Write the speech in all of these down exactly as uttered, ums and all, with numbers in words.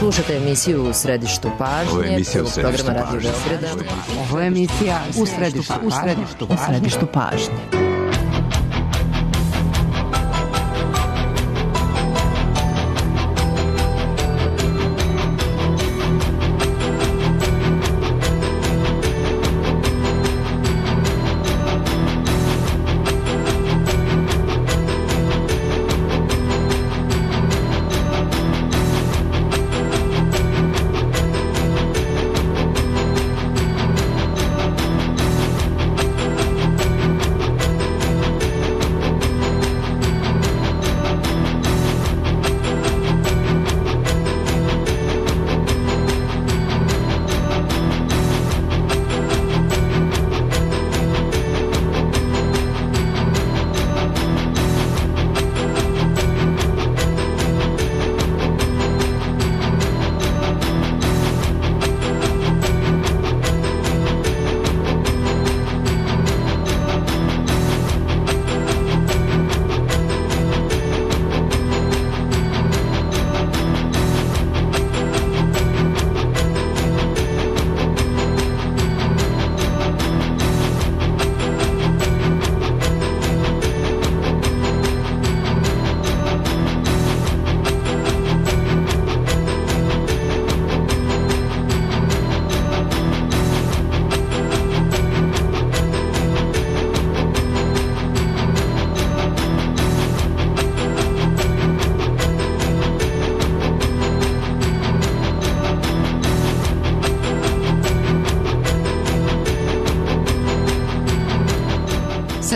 Slušate emisiju U središtu pažnje. Ovo je emisija U središtu pažnje. Ovo je emisija U središtu pažnje. U središtu pažnje.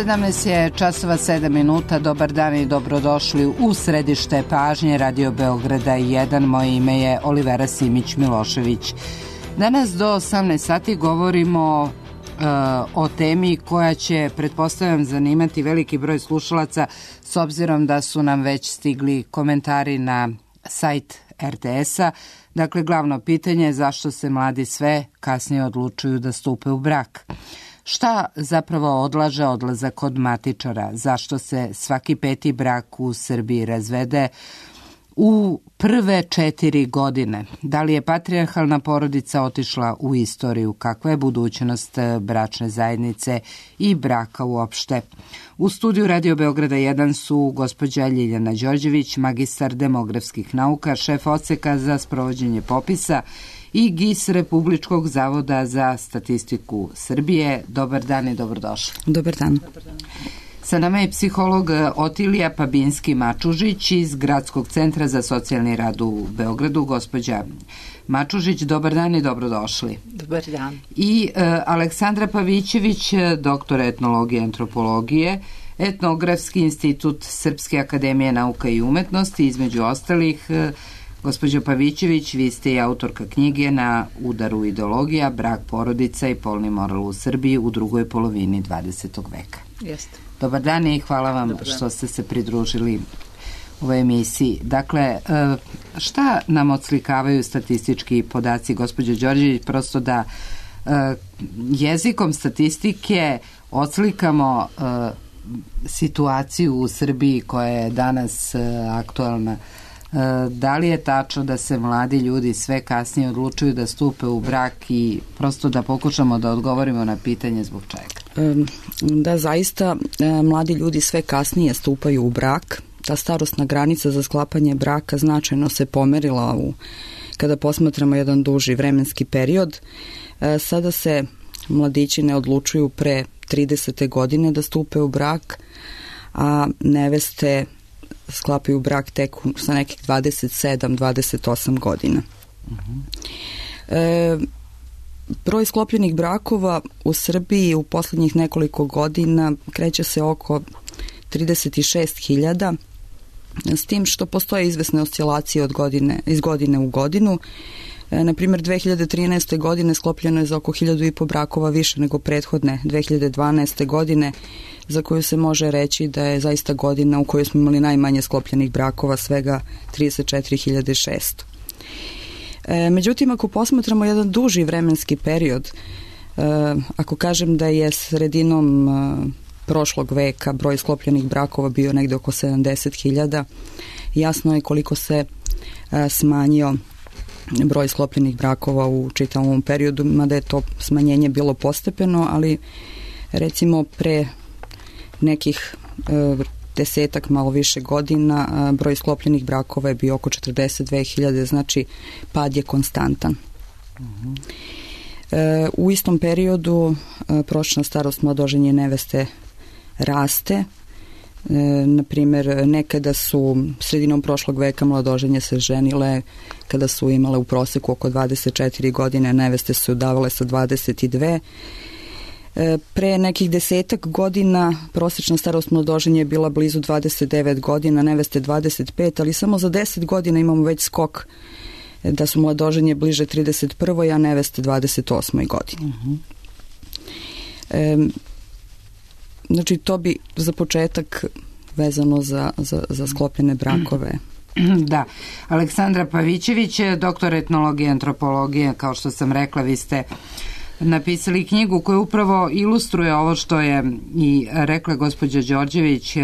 sedamnaest je časova sedam minuta. Dobar dan i dobrodošli u središte pažnje Radio Beograda jedan. Moje ime je Olivera Simić-Milošević. Danas do osamnaest sati govorimo uh, o temi koja će, pretpostavljam, zanimati veliki broj slušalaca, s obzirom da su nam već stigli komentari na sajt er te es-a. Dakle, glavno pitanje je zašto se mladi sve kasnije odlučuju da stupe u brak. Šta zapravo odlaže odlazak od matičara? Zašto se svaki peti brak u Srbiji razvede u prve četiri godine? Da li je patrijarhalna porodica otišla u istoriju? Kakva je budućnost bračne zajednice i braka uopšte? U studiju Radio Beograda jedan su gospođa Ljiljana Đorđević, magistar demografskih nauka, šef odseka za sprovođenje popisa i G I S Republičkog zavoda za statistiku Srbije. Dobar dan i dobrodošli. Dobar dan. Sa nama je psiholog Otilija Pabinski-Mačužić iz Gradskog centra za socijalni rad u Beogradu. Gospođa Mačužić, dobar dan i dobrodošli. Dobar dan. I uh, Aleksandra Pavićević, doktor etnologije i antropologije, Etnografski institut Srpske akademije nauka i umetnosti, između ostalih. Uh, Gospođo Pavićević, vi ste i autorka knjige Na udaru ideologija, brak, porodica i polni moral u Srbiji u drugoj polovini dvadesetog veka. Jeste. Dobar dan i hvala vam što ste se pridružili ovoj emisiji. Dakle, šta nam odslikavaju statistički podaci, gospođo Đorđević, prosto da jezikom statistike odslikamo situaciju u Srbiji koja je danas aktualna. Da li je tačno da se mladi ljudi sve kasnije odlučuju da stupe u brak i prosto da pokušamo da odgovorimo na pitanje zbog čega? Da, zaista mladi ljudi sve kasnije stupaju u brak. Ta starosna granica za sklapanje braka značajno se pomerila u, kada posmatramo jedan duži vremenski period. Sada se mladići ne odlučuju pre tridesete godine da stupe u brak, a neveste sklapaju brak tek sa nekih dvadeset sedam dvadeset osam godina. Uh-huh. E, broj sklopljenih brakova u Srbiji u posljednjih nekoliko godina kreće se oko trideset šest hiljada, s tim što postoje izvesne oscilacije od godine, iz godine u godinu. E, na primjer, dve hiljade trinaeste. godine sklopljeno je za oko hiljadu i po brakova više nego prethodne dve hiljade dvanaeste. godine, za koju se može reći da je zaista godina u kojoj smo imali najmanje sklopljenih brakova, svega trideset četiri hiljade šesto. E, međutim, ako posmatramo jedan duži vremenski period, e, ako kažem da je sredinom e, prošlog veka broj sklopljenih brakova bio negde oko sedamdeset hiljada, jasno je koliko se e, smanjio broj sklopljenih brakova u čitavom periodu, mada je to smanjenje bilo postepeno, ali recimo pre nekih e, desetak, malo više godina, a, broj sklopljenih brakova je bio oko četrdeset dve hiljade, znači pad je konstantan. Uh-huh. E, u istom periodu e, prosječna starost mladoženje neveste raste. E, na primjer, nekada su sredinom prošlog veka mladoženje se ženile kada su imale u proseku oko dvadeset četiri godine, neveste su udavale sa dvadeset dve. E, pre nekih desetak godina prosječna starost mladoženje je bila blizu dvadeset devet godina, neveste dvadeset pet, ali samo za deset godina imamo već skok da su mladoženje bliže trideset prvoj, a neveste dvadeset osmoj godini. Uh-huh. E, znači, to bi za početak vezano za, za, za sklopljene brakove. Da. Aleksandra Pavićević, doktor etnologije i antropologije, kao što sam rekla, vi ste napisali knjigu koja upravo ilustruje ovo što je i rekla gospođa Đorđević,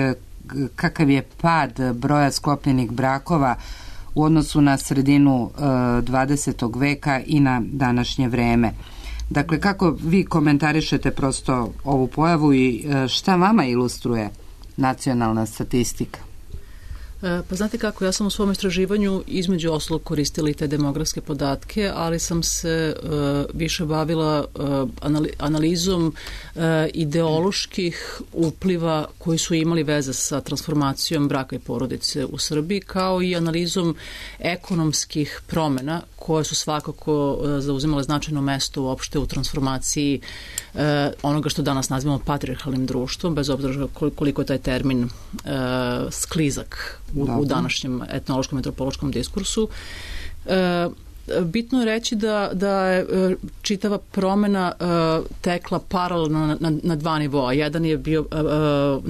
kakav je pad broja sklopljenih brakova u odnosu na sredinu dvadesetog veka i na današnje vreme. Dakle, kako vi komentarišete prosto ovu pojavu i šta vama ilustruje nacionalna statistika? Pa znate kako, ja sam u svom istraživanju između ostalog koristila i te demografske podatke, ali sam se uh, više bavila uh, anali- analizom uh, ideoloških upliva koji su imali veze sa transformacijom braka i porodice u Srbiji, kao i analizom ekonomskih promena koje su svakako uh, zauzimale značajno mesto uopšte u transformaciji uh, onoga što danas nazivamo patrijarhalnim društvom, bez obzira koliko je taj termin uh, sklizak u, u današnjem etnološkom i antropološkom diskursu. E, bitno je reći da, da je čitava promena e, tekla paralelno na, na, na dva nivoa. Jedan je bio e,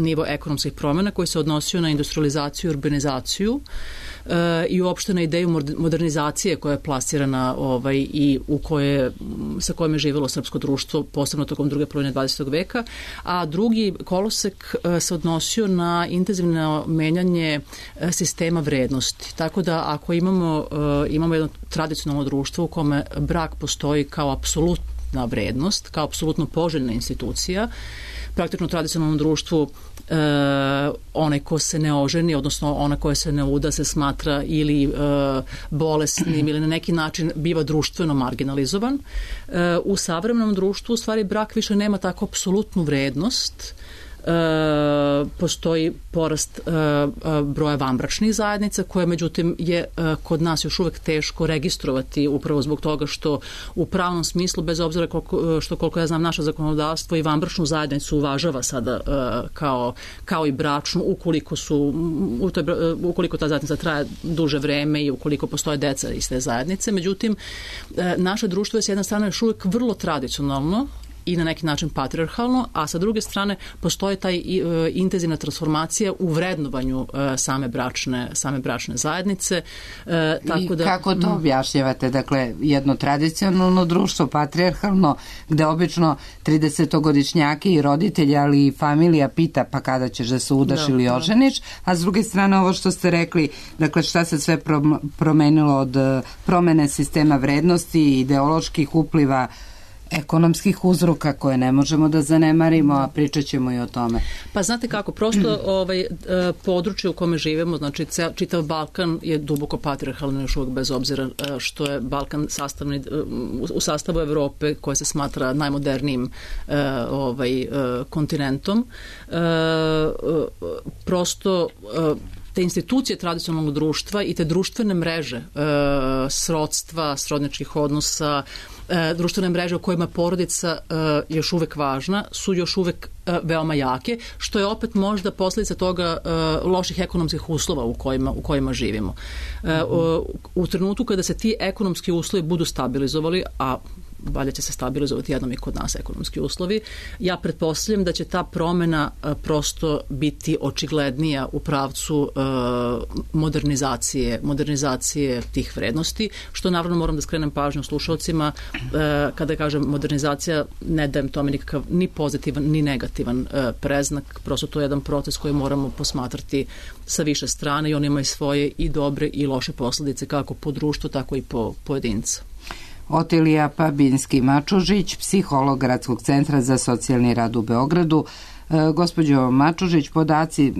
nivo ekonomskih promena koji se odnosio na industrializaciju i urbanizaciju e, i uopšte na ideju modernizacije koja je plasirana ovaj, i u koje, sa kojom je živjelo srpsko društvo, posebno tokom druge polovine dvadesetog veka, a drugi kolosek e, se odnosio na intenzivno menjanje e, sistema vrednosti. Tako da ako imamo, e, imamo jedno tradicionalno društvo u kome brak postoji kao apsolutna vrednost, kao apsolutno poželjna institucija, praktično u tradicionalnom društvu e, onaj ko se ne oženi, odnosno ona koja se ne uda se smatra ili e, bolesnim ili na neki način biva društveno marginalizovan. E, u savremenom društvu u stvari brak više nema tako apsolutnu vrednost. E, postoji porast e, broja vanbračnih zajednica koje međutim je e, kod nas još uvek teško registrovati upravo zbog toga što u pravnom smislu, bez obzira koliko, što koliko ja znam naše zakonodavstvo i vanbračnu zajednicu uvažava sada e, kao, kao i bračnu ukoliko su u toj, ukoliko ta zajednica traje duže vreme i ukoliko postoje deca iz te zajednice. Međutim, e, naše društvo je s jedne strane još uvek vrlo tradicionalno i na neki način patrijarhalno, a sa druge strane postoji taj e, intenzivna transformacija u vrednovanju e, same bračne same bračne zajednice. E, tako da, I kako to objašnjavate? Dakle, jedno tradicionalno društvo, patrijarhalno, gde obično tridesetogodišnjaki i roditelji, ali i familija pita pa kada ćeš da se udaš da, ili oženiš, a s druge strane ovo što ste rekli, dakle šta se sve promenilo od promene sistema vrednosti i ideoloških upliva ekonomskih uzroka koje ne možemo da zanemarimo, a pričat ćemo i o tome. Pa znate kako, prosto ovaj, područje u kome živimo, znači čitav Balkan je duboko patrijarhalno još uvijek, bez obzira što je Balkan sastavni, u sastavu Evrope koja se smatra najmodernijim ovaj, kontinentom. Prosto te institucije tradicionalnog društva i te društvene mreže e, srodstva, srodničkih odnosa, e, društvene mreže u kojima porodica e, još uvek važna, su još uvek e, veoma jake, što je opet možda posljedica toga e, loših ekonomskih uslova u kojima, u kojima živimo. E, u, u trenutku kada se ti ekonomski uslovi budu stabilizovali, a valjda će se stabilizovati jednom i kod nas ekonomski uslovi. Ja pretpostavljam da će ta promena prosto biti očiglednija u pravcu modernizacije, modernizacije tih vrednosti, što naravno moram da skrenem pažnju slušalcima. Kada kažem modernizacija, ne dajem tome nikakav ni pozitivan ni negativan preznak, prosto to je jedan proces koji moramo posmatrati sa više strane i on ima i svoje i dobre i loše posledice kako po društvu, tako i po pojedinca. Otilija Pabinski-Mačužić, psiholog Gradskog centra za socijalni rad u Beogradu. E, gospođo Mačužić, podaci e,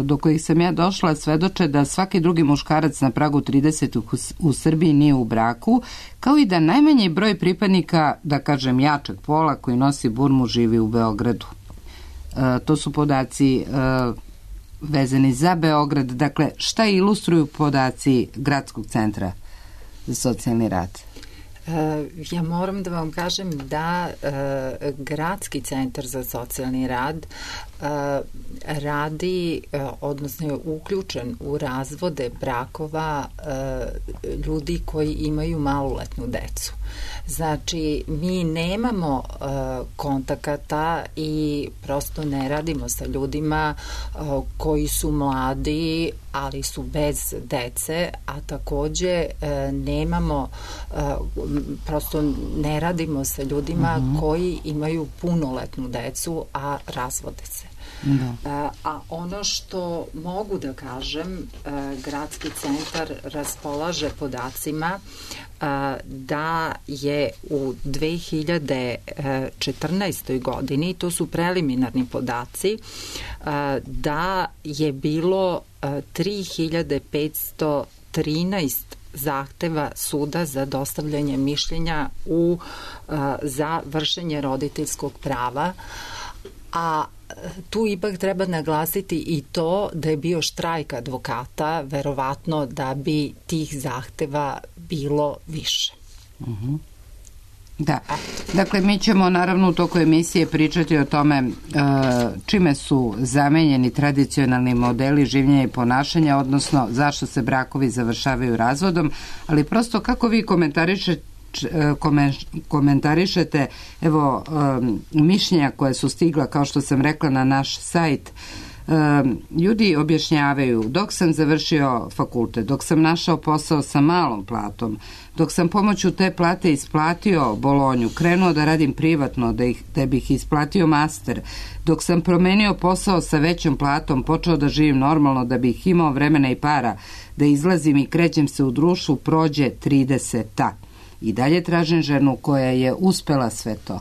do kojih sam ja došla svedoče da svaki drugi muškarac na pragu trideset u, u Srbiji nije u braku, kao i da najmanji broj pripadnika, da kažem jačeg pola, koji nosi burmu živi u Beogradu. E, to su podaci e, vezani za Beograd. Dakle, šta ilustruju podaci Gradskog centra za socijalni rad? Ja moram da vam kažem da e, Gradski centar za socijalni rad e, radi, e, odnosno je uključen u razvode brakova e, ljudi koji imaju maloletnu decu. Znači, mi nemamo e, kontakata i prosto ne radimo sa ljudima e, koji su mladi, ali su bez dece, a takođe e, nemamo e, prosto ne radimo sa ljudima uh-huh. koji imaju punoletnu decu, a razvode se. Da. A, a ono što mogu da kažem, a, Gradski centar raspolaže podacima a, da je u dve hiljade četrnaestoj godini, to su preliminarni podaci, a, da je bilo a, tri hiljade petsto trinaest zahteva suda za dostavljanje mišljenja u, a, za vršenje roditeljskog prava, a tu ipak treba naglasiti i to da je bio štrajk advokata, verovatno da bi tih zahteva bilo više. Uh-huh. Da, dakle mi ćemo naravno u toku emisije pričati o tome uh, čime su zamenjeni tradicionalni modeli življenja i ponašanja, odnosno zašto se brakovi završavaju razvodom, ali prosto kako vi komentarišete komentarišete evo um, mišljenja koje su stigla, kao što sam rekla, na naš sajt. Um, ljudi objašnjavaju: dok sam završio fakultet, dok sam našao posao sa malom platom, dok sam pomoću te plate isplatio bolonju, krenuo da radim privatno, da, ih, da bih isplatio master, dok sam promenio posao sa većom platom, počeo da živim normalno, da bih imao vremena i para, da izlazim i krećem se u društvu, prođe trideseta. I dalje tražim ženu koja je uspela sve to.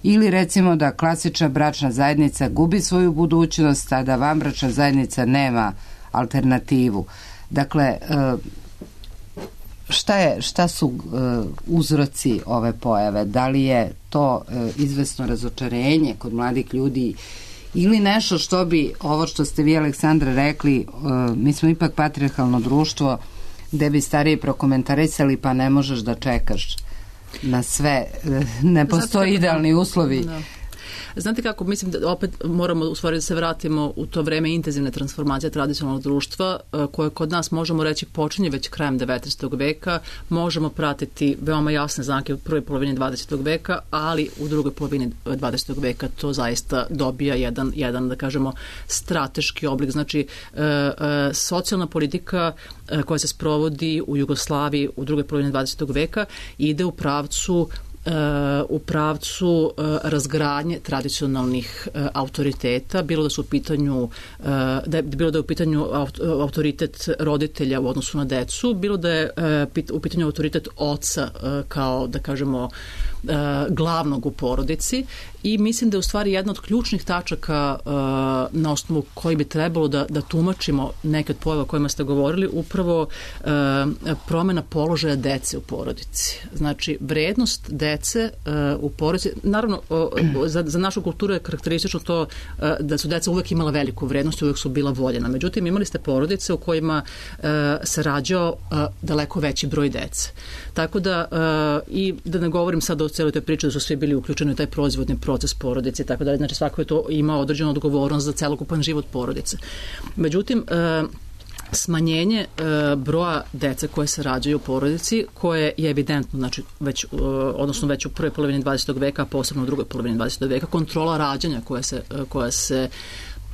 Ili recimo da klasična bračna zajednica gubi svoju budućnost, a da vanbračna zajednica nema alternativu. Dakle, šta, je, šta su uzroci ove pojave? Da li je to izvesno razočarenje kod mladih ljudi ili nešto što bi, ovo što ste vi, Aleksandra, rekli, mi smo ipak patrijarhalno društvo, gde bi stariji prokomentarisali, pa ne možeš da čekaš na sve, ne postoji idealni uslovi. Da. Znate kako, mislim da opet moramo u stvari da se vratimo u to vreme intenzivne transformacije tradicionalnog društva, koje kod nas, možemo reći, počinje već krajem devetnaestog veka, možemo pratiti veoma jasne znake u prvoj polovini dvadesetog veka, ali u drugoj polovini dvadesetog veka to zaista dobija jedan, jedan da kažemo, strateški oblik. Znači, e, e, socijalna politika e, koja se sprovodi u Jugoslaviji u drugoj polovini dvadesetog veka ide u pravcu u pravcu razgradnje tradicionalnih autoriteta, bilo da su u pitanju da je, bilo da je u pitanju autoritet roditelja u odnosu na decu, bilo da je u pitanju autoritet oca kao, da kažemo, glavnog u porodici, i mislim da je u stvari jedna od ključnih tačaka na osnovu koji bi trebalo da, da tumačimo neke od pojava o kojima ste govorili, upravo promena položaja dece u porodici. Znači, vrednost dece u porodici, naravno za, za našu kulturu je karakteristično to da su deca uvek imala veliku vrednost i uvek su bila voljena. Međutim, imali ste porodice u kojima se rađao daleko veći broj dece. Tako da, i da ne govorim sad o cijeloj toj priči da su svi bili uključeni u taj proizvodni proces porodice i tako dalje. Znači, svako je to imao određenu odgovornost za celokupan život porodice. Međutim, smanjenje e, broja dece koje se rađaju u porodici, koje je evidentno, znači već, e, odnosno već u prvoj polovini dvadesetog veka, a posebno u drugoj polovini dvadesetog veka, kontrola rađanja koja se, koja se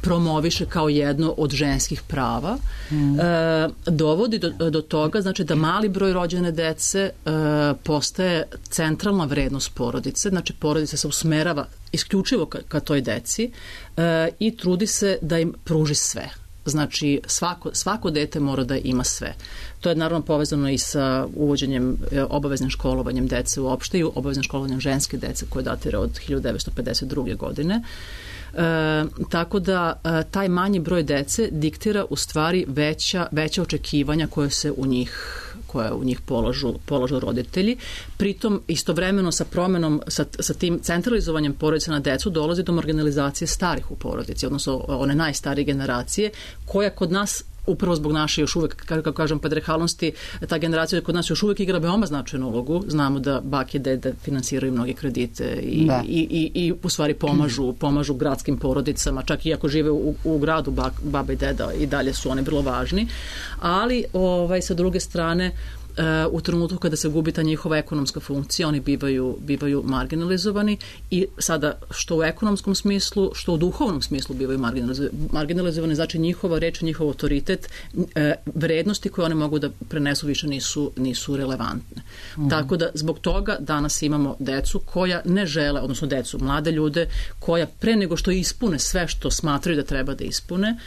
promoviše kao jedno od ženskih prava, mm. e, dovodi do, do toga, znači da mali broj rođene dece e, postaje centralna vrednost porodice, znači porodica se usmerava isključivo ka, ka toj deci e, i trudi se da im pruži sve. Znači svako, svako dete mora da ima sve. To je naravno povezano i sa uvođenjem obaveznim školovanjem dece uopšte i obaveznim školovanjem ženske dece koje datira od hiljadu devetsto pedeset druge. godine. E, tako da e, taj manji broj dece diktira u stvari veća, veća očekivanja koje se u njih koje u njih polažu, polažu roditelji. Pritom istovremeno sa promenom, sa, sa tim centralizovanjem porodice na decu dolazi do marginalizacije starih u porodici, odnosno one najstarije generacije, koja kod nas upravo zbog naše još uvek, kako kažem, patriarhalnosti, ta generacija kod nas još uvek igra veoma značajnu ulogu. Znamo da bake i dede finansiraju mnoge kredite i, i, i, i u stvari pomažu, pomažu gradskim porodicama, čak i ako žive u, u gradu bak, baba i deda i dalje su oni vrlo važni. Ali ovaj, sa druge strane, u trenutku kada se gubi ta njihova ekonomska funkcija, oni bivaju, bivaju marginalizovani i sada što u ekonomskom smislu, što u duhovnom smislu bivaju marginalizovani, znači njihova reč, njihov autoritet, vrednosti koje oni mogu da prenesu više nisu, nisu relevantne. Mm. Tako da zbog toga danas imamo decu koja ne žele, odnosno decu, mlade ljude, koja pre nego što ispune sve što smatraju da treba da ispune,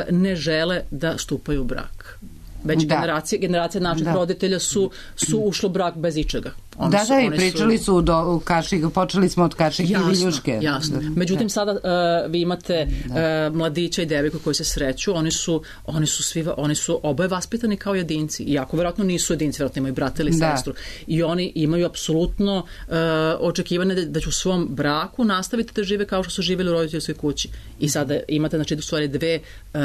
ne žele da stupaju u brak. Već da. generacije, generacije naših da. roditelja su, su ušlo brak bez ičega. Oni da, su, da, i pričali su, su do kašik, počeli smo od kašike i viljuške. Jasno, međutim da. sada uh, vi imate uh, mladića i devojku koji se sreću, oni su, oni su svi, oni su oboje vaspitani kao jedinci, iako verovatno nisu jedinci, verovatno imaju brata ili da. sestru, i oni imaju apsolutno uh, očekivane da, da će u svom braku nastaviti da žive kao što su živjeli u roditeljskoj kući. I sada imate, znači, u stvari dve uh,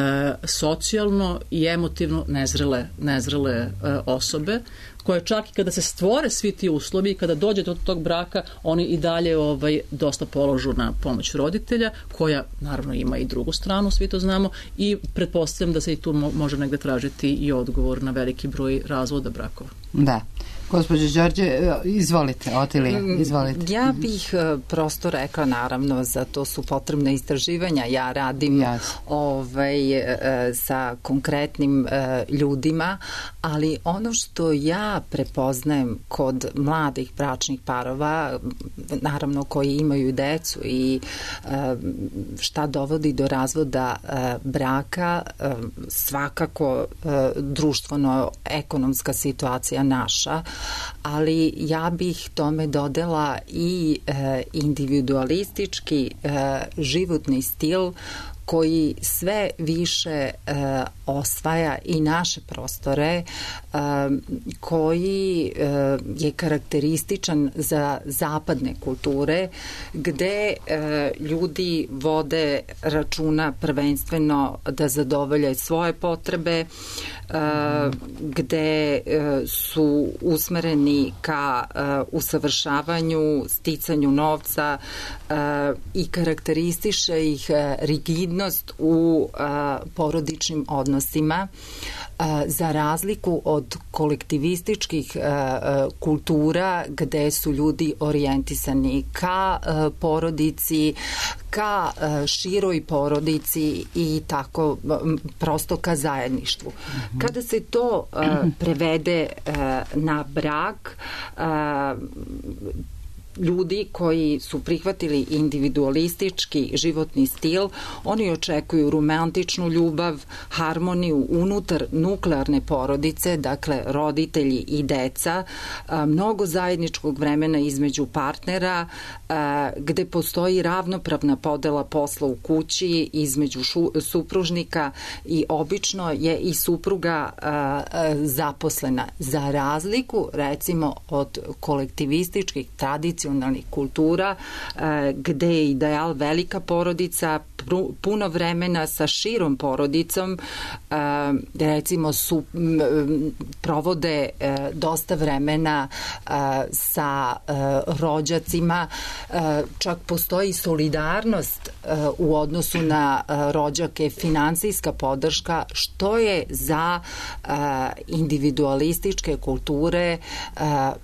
socijalno i emotivno nezrele, nezrele uh, osobe, koje čak i kada se stvore svi ti uslovi i kada dođe do tog braka, oni i dalje ovaj, dosta položu na pomoć roditelja, koja naravno ima i drugu stranu, svi to znamo, i pretpostavljam da se i tu može negde tražiti i odgovor na veliki broj razvoda brakova. Da. Gospođo Đorđe, izvolite, Otilija, izvolite. Ja bih prosto rekla, naravno, za to su potrebne istraživanja. Ja radim yes. ovaj, sa konkretnim ljudima, ali ono što ja prepoznajem kod mladih bračnih parova, naravno koji imaju decu i šta dovodi do razvoda braka, svakako društveno-ekonomska situacija naša, ali ja bih tome dodala i e, individualistički e, životni stil koji sve više e, osvaja i naše prostore, e, koji e, je karakterističan za zapadne kulture, gde e, ljudi vode računa prvenstveno da zadovolje svoje potrebe, e, gde e, su usmereni ka e, usavršavanju, sticanju novca e, i karakteristiše ih e, rigidnost u a, porodičnim odnosima, a, za razliku od kolektivističkih a, a, kultura gde su ljudi orijentisani ka a, porodici, ka a, široj porodici i tako a, prosto ka zajedništvu. Mm-hmm. Kada se to a, prevede a, na brak, a, ljudi koji su prihvatili individualistički životni stil, oni očekuju romantičnu ljubav, harmoniju unutar nuklearne porodice, dakle roditelji i deca, mnogo zajedničkog vremena između partnera, gde postoji ravnopravna podela posla u kući između šu, supružnika i obično je i supruga zaposlena. Za razliku, recimo, od kolektivističkih tradicija kultura, gde je ideal velika porodica, puno vremena sa širom porodicom, recimo su provode dosta vremena sa rođacima, čak postoji solidarnost u odnosu na rođake, finansijska podrška, što je za individualističke kulture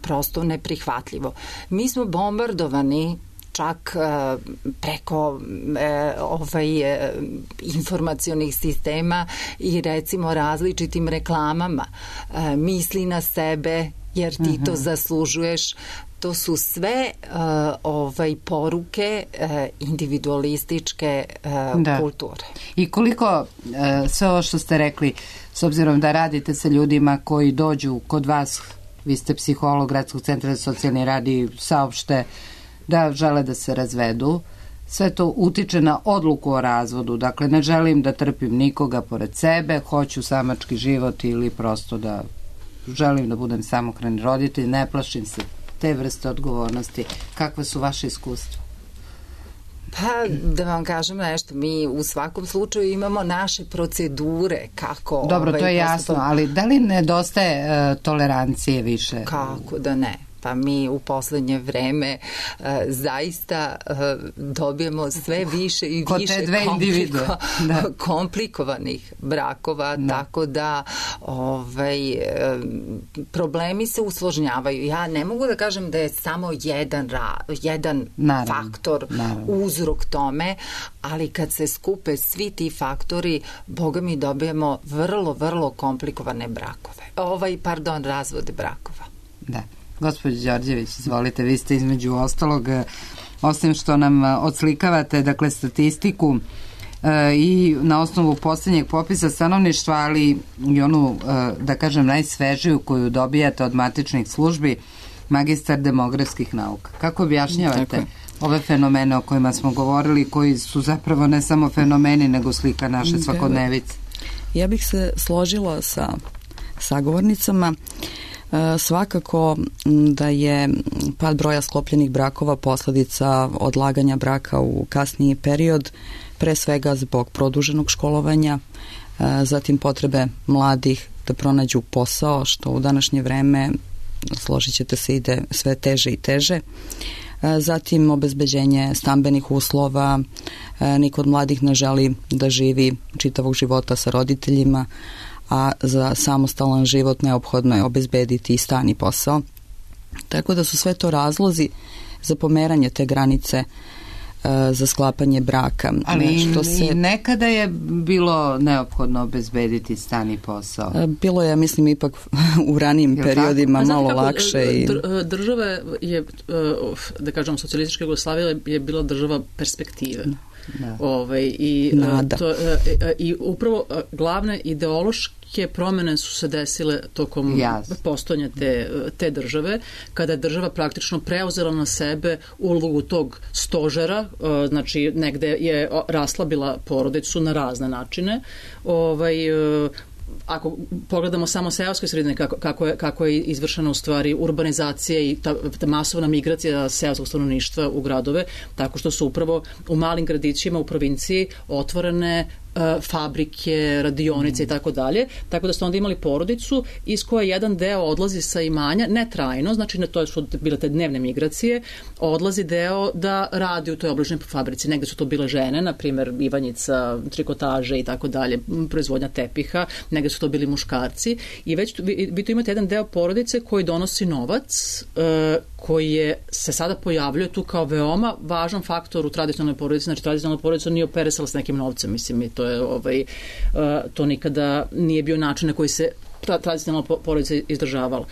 prosto neprihvatljivo. Mi smo bombardovani čak preko ovaj, informacionih sistema i recimo različitim reklamama. Misli na sebe jer ti to zaslužuješ. To su sve uh, ovaj poruke uh, individualističke uh, da. kulture. I koliko uh, sve ovo što ste rekli, s obzirom da radite sa ljudima koji dođu kod vas, vi ste psiholog Gradskog centra za socijalni rad i saopšte da žele da se razvedu, sve to utiče na odluku o razvodu. Dakle, ne želim da trpim nikoga pored sebe, hoću samački život ili prosto da želim da budem samohrani roditelj, ne plašim se te vrste odgovornosti. Kakve su vaše iskustva? Pa, da vam kažem nešto, mi u svakom slučaju imamo naše procedure kako... Dobro, ovaj, to je jasno, ali da li nedostaje uh, tolerancije više? Kako da ne? Pa mi u poslednje vreme uh, zaista uh, dobijemo sve više i više kompliko, da. komplikovanih brakova, da. Tako da ovaj, uh, problemi se usložnjavaju. Ja ne mogu da kažem da je samo jedan, ra, jedan naravno, faktor, naravno. uzrok tome, ali kad se skupe svi ti faktori, boga mi dobijemo vrlo, vrlo komplikovane brakove. Ovaj, pardon, razvode brakova. Da. Gospođo Đorđević, izvolite, vi ste između ostalog, osim što nam odslikavate, dakle, statistiku e, i na osnovu poslednjeg popisa stanovništva, ali i onu, e, da kažem, najsvežiju koju dobijate od matičnih službi, magistar demografskih nauka. Kako objašnjavate Tako. ove fenomene o kojima smo govorili, koji su zapravo ne samo fenomeni, nego slika naše svakodnevice? Ja bih se složila sa sagovornicama. Svakako da je pad broja sklopljenih brakova posledica odlaganja braka u kasniji period, pre svega zbog produženog školovanja, zatim potrebe mladih da pronađu posao, što u današnje vreme, složit ćete se, ide sve teže i teže. Zatim obezbeđenje stambenih uslova, niko od mladih ne želi da živi čitavog života sa roditeljima, a za samostalan život neophodno je obezbediti i stan i posao. Tako da su sve to razlozi za pomeranje te granice uh, za sklapanje braka. Ali što se... i nekada je bilo neophodno obezbediti stan i posao. Uh, bilo je, mislim, ipak u ranijim Jel periodima tako? malo kako, lakše. I... Države je, da kažem, socijalistička Jugoslavija je bila država perspektive. Da. Ove, i, to, i upravo glavne ideološke promene su se desile tokom yes. postojanja te, te države, kada je država praktično preuzela na sebe ulogu tog stožera, znači negde je raslabila porodicu na razne načine. Ovaj, ako pogledamo samo seoske sredine, kako, kako, je, kako je izvršena u stvari urbanizacija i ta, ta masovna migracija seoskog stanovništva u gradove, tako što su upravo u malim gradićima u provinciji otvorene uh, fabrike, radionice mm. i tako dalje, tako da ste onda imali porodicu iz koje jedan deo odlazi sa imanja, ne trajno, znači ne, to su bile te dnevne migracije, odlazi deo da radi u toj obližnjoj fabrici. Negde su to bile žene, na primjer Ivanjica, trikotaže i tako dalje, proizvodnja tepiha, negde su to bili muškarci i već tu, vi, vi tu imate jedan deo porodice koji donosi novac, uh, koji je, se sada pojavljuje tu kao veoma važan faktor u tradicionalnoj porodici. Znači tradicionalna porodica nije operisala s nekim novcem, mislim, i to je ovaj, uh, to nikada nije bio način na koji se tradicionalna porodica izdržavala.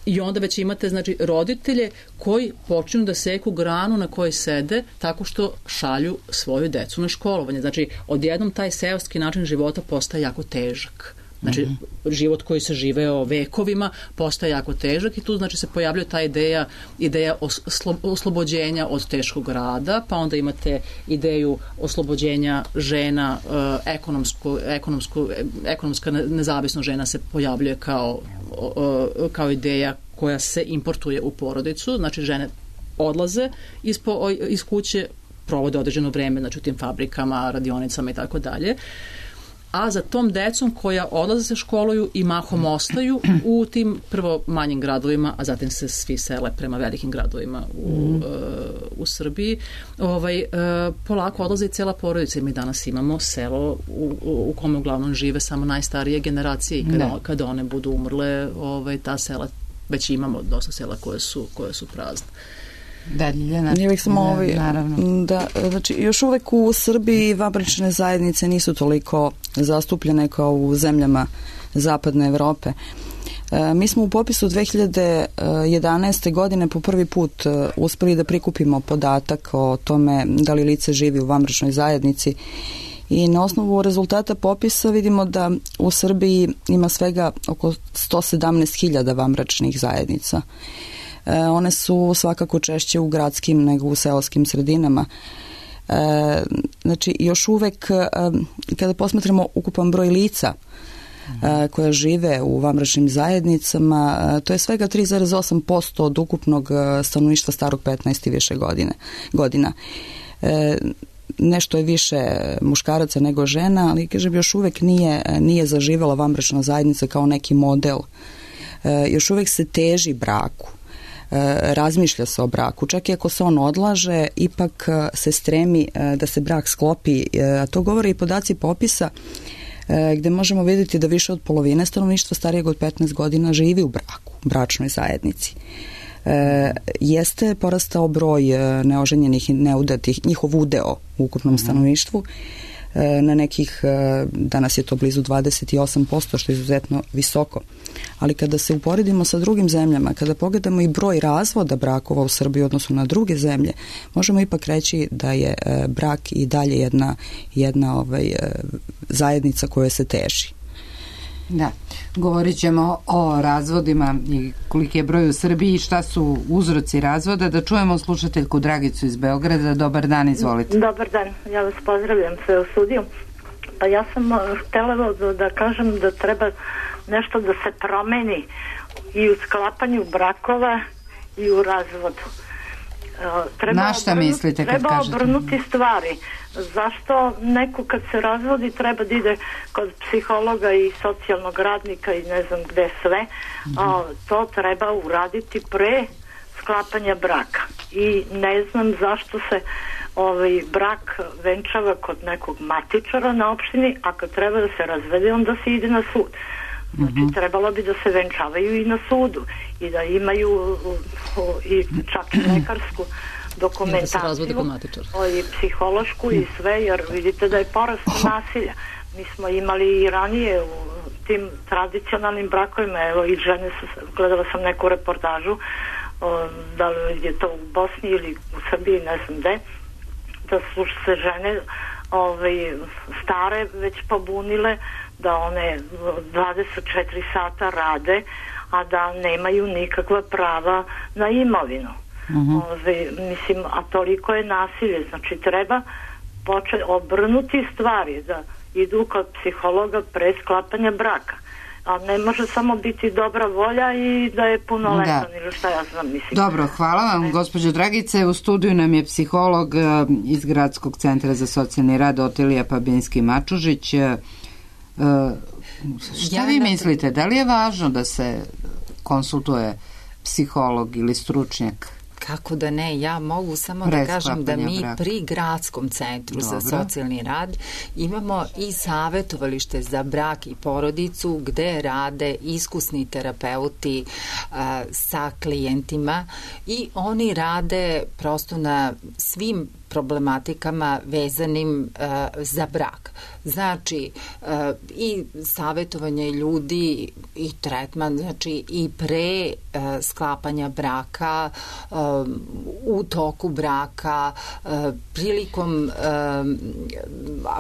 I onda već imate, znači, roditelje koji počinu da seku granu na kojoj sede tako što šalju svoju decu na školovanje. Znači, odjednom taj seoski način života postaje jako težak. Znači, mm-hmm. život koji se živeo vekovima postaje jako težak i tu, znači, se pojavljuje ta ideja, ideja oslo, oslobođenja od teškog rada, pa onda imate ideju oslobođenja žena, uh, ekonomsku, ekonomsku, ekonomska nezavisnost žena se pojavljuje kao, uh, kao ideja koja se importuje u porodicu, znači žene odlaze iz, po, iz kuće, provode određeno vreme, znači u tim fabrikama, radionicama i tako dalje. A za tom decom koja odlaze se školuju i mahom ostaju u tim prvo manjim gradovima, a zatim se svi sele prema velikim gradovima u, mm. uh, u Srbiji, ovaj, uh, polako odlaze i cela porodica. Mi danas imamo selo u, u kome uglavnom žive samo najstarije generacije i kada, kada one budu umrle, ovaj, ta sela, već imamo dosta sela koje su, koje su prazne. Da, Ljiljana, ja bih samo ovaj, da, znači, još uvek u Srbiji vanbračne zajednice nisu toliko zastupljene kao u zemljama zapadne Evrope. E, mi smo u popisu dve hiljade jedanaeste. godine po prvi put uspeli da prikupimo podatak o tome da li lice živi u vanbračnoj zajednici i na osnovu rezultata popisa vidimo da u Srbiji ima svega oko sto sedamnaest hiljada vanbračnih zajednica. One su svakako češće u gradskim nego u seoskim sredinama. E, znači, još uvek, e, kada posmatramo ukupan broj lica e, koja žive u vanbračnim zajednicama, e, to je svega tri zarez osam posto od ukupnog stanovništva starog petnaest i više godine, godina. E, nešto je više muškaraca nego žena, ali kažem, još uvek nije, nije zaživela vanbračna zajednica kao neki model. E, još uvek se teži braku. Razmišlja se o braku. Čak i ako se on odlaže, ipak se stremi da se brak sklopi. A to govore i podaci popisa gde možemo vidjeti da više od polovine stanovništva starijeg od petnaest godina živi u braku, u bračnoj zajednici. E, jeste porastao broj neoženjenih i neudatih, njihov udeo u ukupnom stanovništvu, na nekih, danas je to blizu dvadeset osam posto, što je izuzetno visoko. Ali kada se uporedimo sa drugim zemljama, kada pogledamo i broj razvoda brakova u Srbiji odnosno na druge zemlje, možemo ipak reći da je brak i dalje jedna, jedna ovaj, zajednica koja se teži. Da, govorit ćemo o razvodima i koliki je broj u Srbiji i šta su uzroci razvoda. Da čujemo slušateljku Dragicu iz Beograda. Dobar dan, izvolite. Dobar dan, ja vas pozdravljam sve u studiju. Pa ja sam htjela da, da kažem da treba nešto da se promeni i u sklapanju brakova i u razvodu. Treba Na šta obrnuti, mislite kad treba kažete? Treba obrnuti stvari. Zašto neko kad se razvodi treba da ide kod psihologa i socijalnog radnika i ne znam gde sve, mm-hmm. a, to treba uraditi pre sklapanja braka. I ne znam zašto se ovaj brak venčava kod nekog matičara na opštini, a kad treba da se razvede onda se ide na sud. Znači, mm-hmm. trebalo bi da se venčavaju i na sudu i da imaju o, o, i čak i lekarsku dokumentaciju i psihološku i sve, jer vidite da je porast nasilja. Mi smo imali i ranije u tim tradicionalnim brakovima, evo i žene su, gledala sam neku reportažu, o, da li je to u Bosni ili u Srbiji, ne znam gde, da su se žene ovaj, stare već pobunile da one dvadeset četiri sata rade, a da nemaju nikakva prava na imovinu. Uh-huh. Ove, mislim, a toliko je nasilje, znači treba početi obrnuti stvari, da idu kod psihologa pre sklapanja braka. A ne može samo biti dobra volja i da je punoletan da. Ili šta ja znam, mislim. Dobro, hvala vam, gospođo Dragice. U studiju nam je psiholog iz Gradskog centra za socijalni rad Otilija Pabinski-Mačužić. Šta ja vi mislite, da li je važno da se konsultuje psiholog ili stručnjak? Kako da ne, ja mogu samo da kažem da mi braka. Pri Gradskom centru Dobro. Za socijalni rad imamo i savjetovalište za brak i porodicu gde rade iskusni terapeuti a, sa klijentima i oni rade prosto na svim problematikama vezanim uh, za brak. Znači, uh, i savjetovanje ljudi i tretman, znači i pre uh, sklapanja braka, uh, u toku braka, uh, prilikom uh,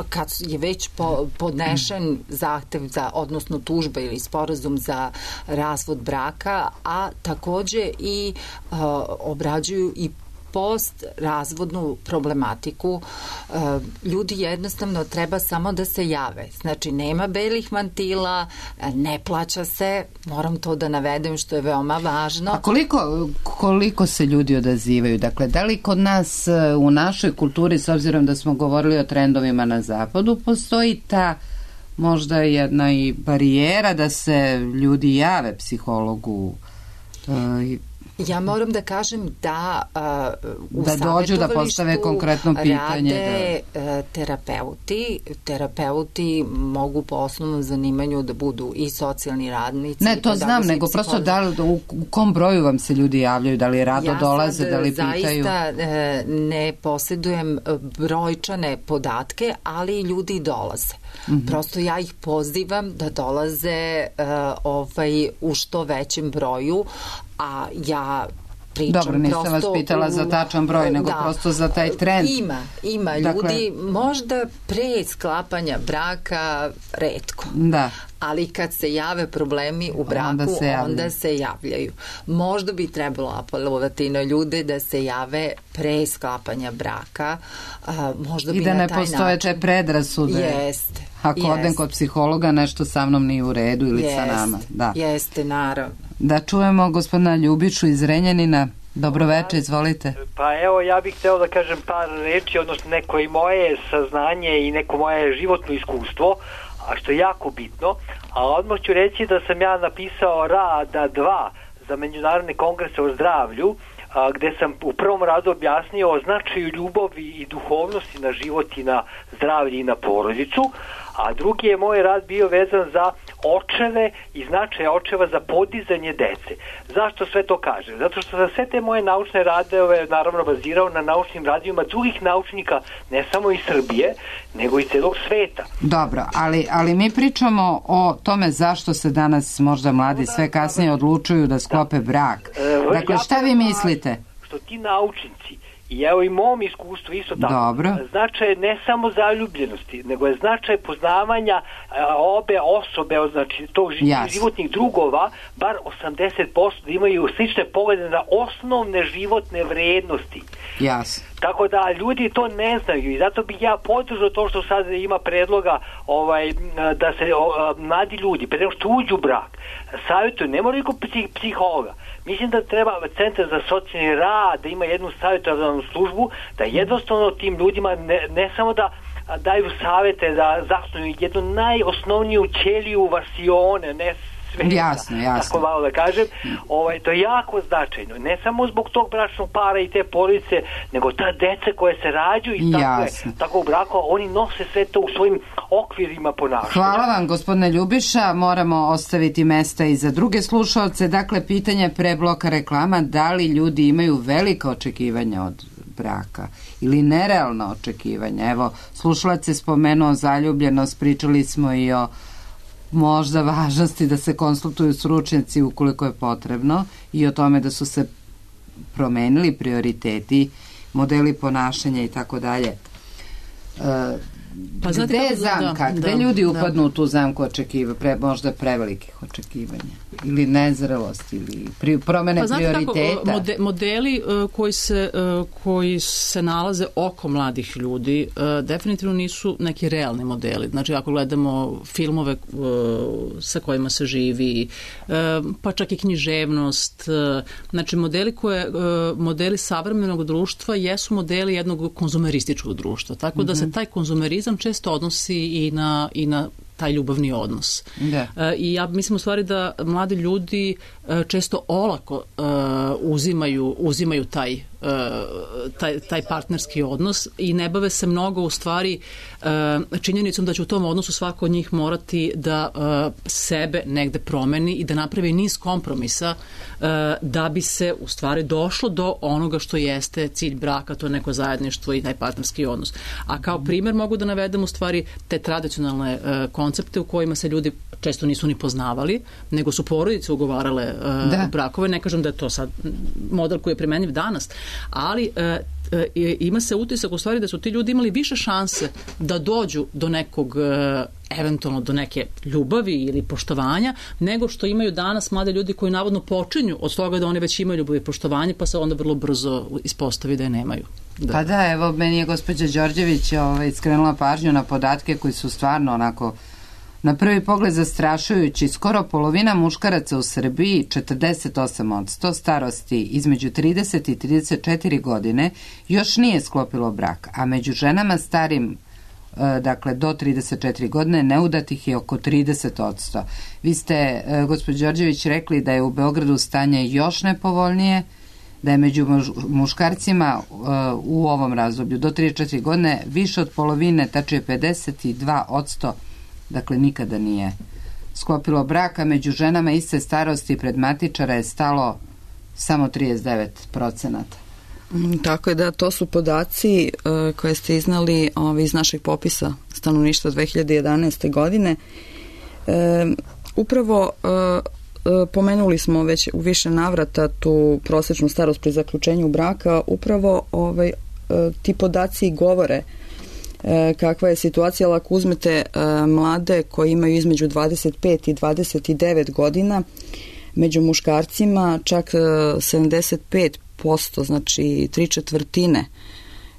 kad je već po, podnešen zahtev za, odnosno tužba ili sporazum za razvod braka, a takođe i uh, obrađuju i post-razvodnu problematiku ljudi jednostavno treba samo da se jave. Znači, nema belih mantila, ne plaća se, moram to da navedem što je veoma važno. A koliko, koliko se ljudi odazivaju? Dakle, da li kod nas u našoj kulturi, s obzirom da smo govorili o trendovima na zapadu, postoji ta možda jedna i barijera da se ljudi jave psihologu? Ja moram da kažem da uh, u da dođu da postave konkretno pitanje, rade da. terapeuti. Terapeuti mogu po osnovnom zanimanju da budu i socijalni radnici. Ne, to znam, nego psiholozi. Prosto da li, u kom broju vam se ljudi javljaju, da li rado ja dolaze, da li pitaju? Ja sad zaista ne posjedujem brojčane podatke, ali ljudi dolaze. Mm-hmm. Prosto ja ih pozivam da dolaze uh, ovaj, u što većem broju, a ja pričam. Dobro, nisam vas pitala u, za tačan broj, nego da, prosto za taj trend. Ima, ima dakle, ljudi, možda pre sklapanja braka retko. Da. Ali kad se jave problemi u braku, onda se, onda se javljaju. Možda bi trebalo apelovati na ljude da se jave pre sklapanja braka. A, možda I bi da na ne taj postoje način... te predrasude. Jeste. Ako jest. odem kod psihologa, nešto sa mnom nije u redu ili jest. Sa nama. Da. Jeste, naravno. Da čujemo gospodina Ljubišu iz Renjanina. Dobroveče, izvolite. Pa evo, ja bih hteo da kažem par reči, odnosno neko i moje saznanje i neko moje životno iskustvo, a što je jako bitno, a odmah ću reći da sam ja napisao rada dva za međunarodne kongrese o zdravlju, a, gde sam u prvom radu objasnio o značaju ljubavi i duhovnosti na život i na zdravlje i na porodicu, a drugi je moj rad bio vezan za očeve i značaj očeva za podizanje dece. Zašto sve to kažem? Zato što sam sve te moje naučne radove naravno bazirao na naučnim radijima drugih naučnika, ne samo iz Srbije, nego i celog sveta. Dobro, ali, ali mi pričamo o tome zašto se danas možda mladi sve kasnije odlučuju da sklope brak. Dakle, šta vi mislite? Što ti naučnici, i evo i mom iskustvu isto tako. Dobro. Značaj ne samo zaljubljenosti, nego je značaj poznavanja a, obe osobe, znači tog yes. životnih drugova, bar osamdeset posto da imaju slične poglede na osnovne životne vrednosti. Yes. Tako da ljudi to ne znaju i zato bih ja podržao to što sad ima predloga ovaj, da se o, mladi ljudi, pre nego što uđu u brak, savjetuju, ne moraju kod psih, psihologa. Mislim da treba Centar za socijalni rad da ima jednu savjetodavnu službu, da jednostavno tim ljudima ne, ne samo da daju savjete, da zasnuju jednu najosnovniju ćeliju vasione, ne sveta, jasno, jasno. tako malo da kažem, ovaj, to je jako značajno. Ne samo zbog tog bračnog para i te porodice, nego ta deca koje se rađaju i tako, je, tako u braku, oni nose sve to u svojim okvirima ponašanja. Hvala vam, gospodine Ljubiša. Moramo ostaviti mesta i za druge slušalce. Dakle, pitanje pre bloka reklama, da li ljudi imaju velika očekivanja od braka ili nerealna očekivanja? Evo, slušalac je spomenuo zaljubljenost, pričali smo i o možda važnosti da se konsultuju stručnjaci ukoliko je potrebno i o tome da su se promenili prioriteti, modeli ponašanja i tako dalje. Pa gde je zamka? Da, gde da, ljudi upadnu da. u tu zamku očekiva, pre, možda prevelikih očekivanja ili nezrelosti ili pri, promene pa prioriteta? Kako, mode, modeli uh, koji, se, uh, koji se nalaze oko mladih ljudi uh, definitivno nisu neki realni modeli. Znači ako gledamo filmove uh, sa kojima se živi, uh, pa čak i književnost, uh, znači modeli koje, uh, modeli savremenog društva jesu modeli jednog konzumerističkog društva. Tako mm-hmm. da se taj konzumerizam često odnosi i na, i na taj ljubavni odnos. Da. E, I ja mislim u stvari da mladi ljudi e, često olako e, uzimaju, uzimaju taj, e, taj, taj partnerski odnos i ne bave se mnogo u stvari e, činjenicom da će u tom odnosu svako od njih morati da e, sebe negde promeni i da napravi niz kompromisa e, da bi se u stvari došlo do onoga što jeste cilj braka, to je neko zajedništvo i taj partnerski odnos. A kao primer mogu da navedem u stvari te tradicionalne e, koncepte u kojima se ljudi često nisu ni poznavali, nego su porodice ugovarale uh, brakove. Ne kažem da je to sad model koji je primenjiv danas, ali uh, ima se utisak u stvari da su ti ljudi imali više šanse da dođu do nekog uh, eventualno do neke ljubavi ili poštovanja, nego što imaju danas mlade ljudi koji navodno počinju od toga da oni već imaju ljubav i poštovanje, pa se onda vrlo brzo ispostavi da je nemaju. Da. Pa da, evo, meni je gospođa Đorđević ovaj, skrenula pažnju na podatke koji su stvarno onako na prvi pogled zastrašujući. Skoro polovina muškaraca u Srbiji, četrdeset osam posto starosti između trideset i trideset četiri godine, još nije sklopilo brak, a među ženama starim dakle do trideset četiri godine neudatih je oko trideset posto. Vi ste, gospođo Đorđević, rekli da je u Beogradu stanje još nepovoljnije, da je među muškarcima u ovom razdoblju do trideset četiri godine više od polovine, tačnije pedeset dva posto, dakle nikada nije sklopilo brak, a među ženama iste starosti pred matičara je stalo samo trideset devet procenata. Tako je, da, to su podaci uh, koje ste iznali uh, iz našeg popisa stanovništva dve hiljade jedanaeste. godine. Uh, upravo uh, uh, pomenuli smo već u više navrata tu prosečnu starost pri zaključenju braka. Upravo ovaj, uh, ti podaci govore uh, kakva je situacija, ali ako uzmete uh, mlade koji imaju između dvadeset pet i dvadeset devet godina, među muškarcima čak uh, sedamdeset pet posto, znači tri četvrtine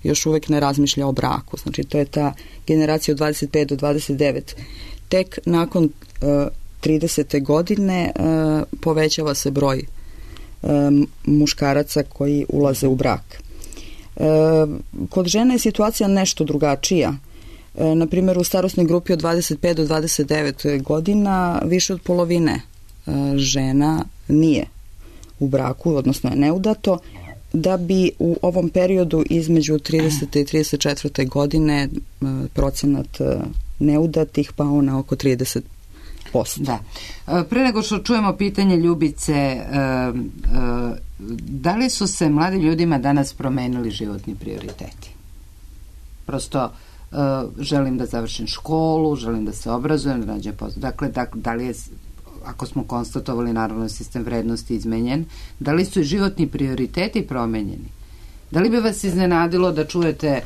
još uvek ne razmišlja o braku. Znači to je ta generacija od dvadeset pet do dvadeset devet. Tek nakon uh, tridesete godine uh, povećava se broj uh, muškaraca koji ulaze u brak. Uh, kod žene je situacija nešto drugačija. Uh, na primjer, u starosnoj grupi od dvadeset pet do dvadeset devet godina više od polovine uh, žena nije u braku, odnosno je neudato, da bi u ovom periodu između tridesete i trideset četvrte godine procenat neudatih pao na oko trideset posto. Da. Pre nego što čujemo pitanje Ljubice, da li su se mladim ljudima danas promenili životni prioriteti? Prosto želim da završim školu, želim da se obrazujem, da nađem posao. Dakle, da li je, ako smo konstatovali naravno sistem vrednosti izmenjen, da li su i životni prioriteti promenjeni? Da li bi vas iznenadilo da čujete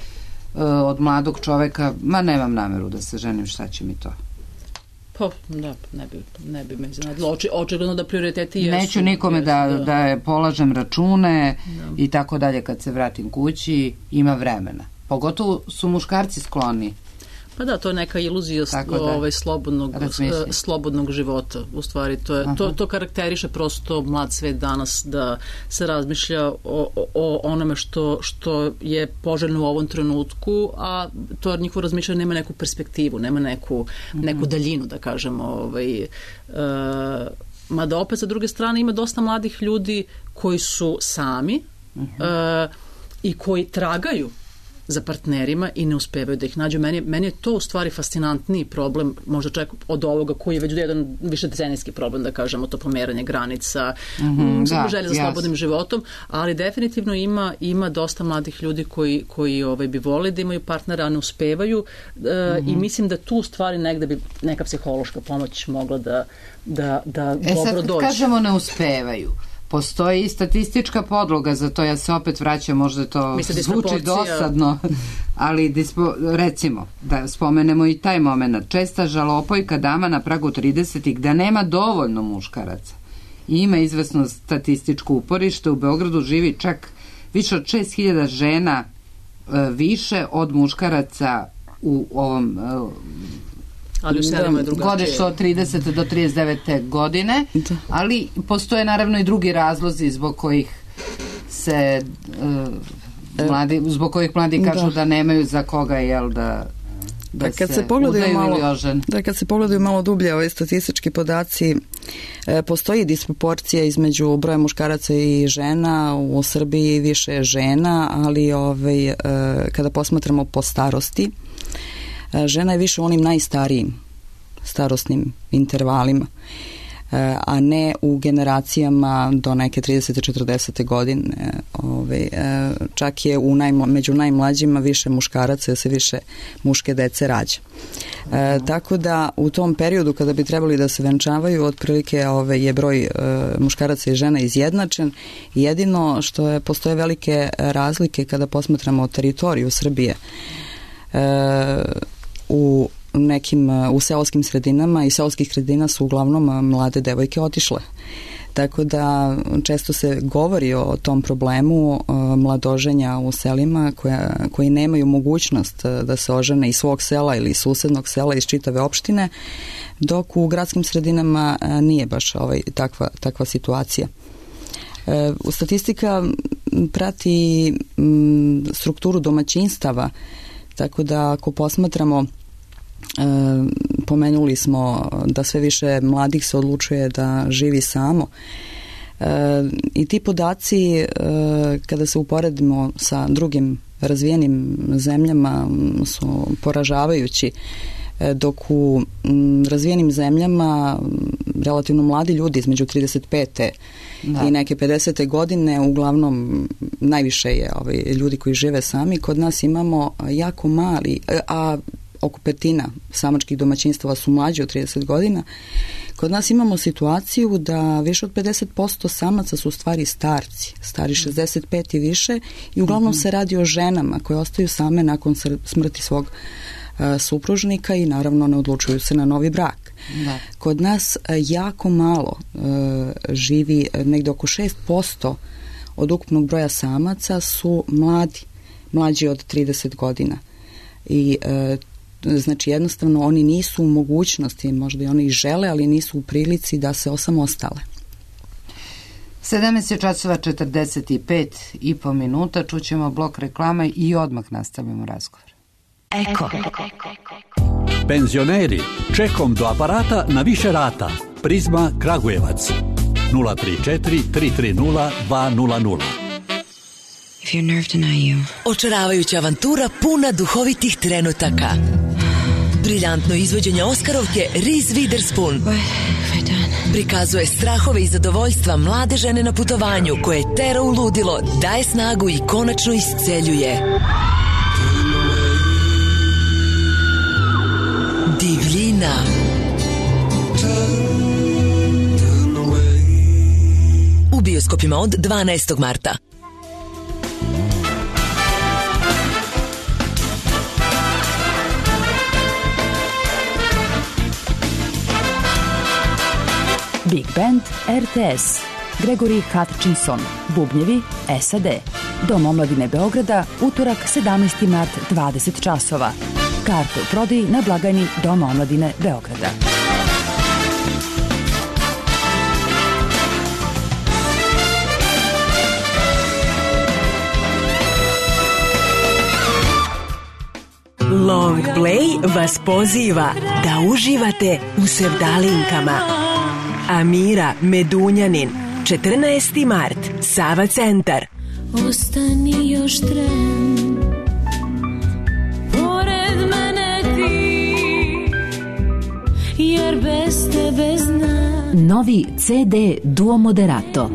uh, od mladog čoveka, ma nemam nameru da se ženim, šta će mi to? Pa, da, ne bi, ne bi me iznenadilo. Oči, očigledno da prioriteti jesu. Neću nikome jesu, da, da, da polažem račune da. I tako dalje, kad se vratim kući, ima vremena. Pogotovo su muškarci skloni. Pa da, to je neka iluzija ovaj, slobodnog, slobodnog života. U stvari, to, je, to, to karakteriše prosto mlad svet danas, da se razmišlja o, o onome što, što je poželjno u ovom trenutku, a to njihovo razmišljanje nema neku perspektivu, nema neku, neku daljinu, da kažemo. Ovaj, e, mada opet, sa druge strane, ima dosta mladih ljudi koji su sami e, i koji tragaju za partnerima i ne uspevaju da ih nađu. Meni, meni je to u stvari fascinantniji problem, možda čak od ovoga koji je već jedan više decenijski problem, da kažemo, to pomeranje granica, mm-hmm, da, želja za slobodnim yes. životom, ali definitivno ima, ima dosta mladih ljudi koji, koji ovaj, bi volili da imaju partnera, a ne uspevaju uh, mm-hmm. i mislim da tu u stvari negde bi neka psihološka pomoć mogla da, da, da e dobro sad, dođe. Kažemo ne uspevaju. Postoji i statistička podloga za to, ja se opet vraćam, možda to Misle, zvuči dosadno, ali dispo, recimo, da spomenemo i taj moment, česta žalopojka dama na pragu tridesetih da nema dovoljno muškaraca. I ima izvesno statističko uporište, u Beogradu živi čak više od šest hiljada žena e, više od muškaraca u ovom e, ali u selima je drugačije. Godište od tridesete do trideset devete godine, da. Ali postoje naravno i drugi razlozi zbog kojih se uh, mladi, zbog kojih mladi kažu da, da nemaju za koga, jel, da da, da kad se, se pogledaju malo, da kad se pogledaju malo dublje ove statistički podaci, e, postoji disproporcija između broja muškaraca i žena. U Srbiji više je žena, ali ovaj, e, kada posmatramo po starosti, žena je više u onim najstarijim starosnim intervalima, a ne u generacijama do neke tridesete četrdesete godine. Ove, čak je u najmo, među najmlađima više muškaraca, jer se više muške dece rađa. E, tako da u tom periodu kada bi trebali da se venčavaju, otprilike ove, je broj e, muškaraca i žena izjednačen. Jedino što je, postoje velike razlike kada posmatramo teritoriju Srbije. E, u nekim u seoskim sredinama i seoskih sredina su uglavnom mlade devojke otišle. Tako da često se govori o tom problemu mladoženja u selima koja, koji nemaju mogućnost da se ožene iz svog sela ili iz susednog sela, iz čitave opštine, dok u gradskim sredinama nije baš ovaj, takva, takva situacija. E, statistika prati m, strukturu domaćinstava, tako da ako posmatramo, E, pomenuli smo da sve više mladih se odlučuje da živi samo. E, I ti podaci, e, kada se uporedimo sa drugim razvijenim zemljama, su poražavajući. E, dok u m, razvijenim zemljama relativno mladi ljudi između trideset pete da. i neke pedesete godine, uglavnom najviše je ovaj, ljudi koji žive sami. Kod nas imamo jako mali, a oko petina samačkih domaćinstava su mlađi od trideset godina. Kod nas imamo situaciju da više od pedeset posto samaca su u stvari starci, stari šezdeset pet i više, i uglavnom mm-hmm. se radi o ženama koje ostaju same nakon smrti svog uh, supružnika i naravno ne odlučuju se na novi brak. Da. Kod nas uh, jako malo uh, živi, negde oko šest posto od ukupnog broja samaca su mladi, mlađi od trideset godina. I uh, znači jednostavno oni nisu u mogućnosti, možda i oni žele, ali nisu u prilici da se osamostale. sedamnaest časova četrdeset pet i po minuta, čućemo blok reklama i odmah nastavimo razgovor. Eko. Penzioneri, čekom do aparata na više rata. Prizma Kragujevac. nula tri četiri tri tri nula dva nula nula. If your nerve deny you. Očaravajuća avantura puna duhovitih trenutaka. Briljantno izvođenje Oskarovke Reese Witherspoon prikazuje strahove i zadovoljstva mlade žene na putovanju koje tera u ludilo, daje snagu i konačno isceljuje. Divljina. U bioskopima od dvanaestog marta. Big Band R T S, Gregory Hutchinson, bubnjevi S A D. Dom omladine Beograda, utorak sedamnaesti mart, dvadeset časova. Karte u prodaji na blagajni Doma omladine Beograda. Long Play vas poziva da uživate u sevdalinkama. Amira Medunjanin, četrnaesti mart, Sava centar. Ostani još tren, pored mene ti, jer bez tebe znam. Novi C D Duo Moderato.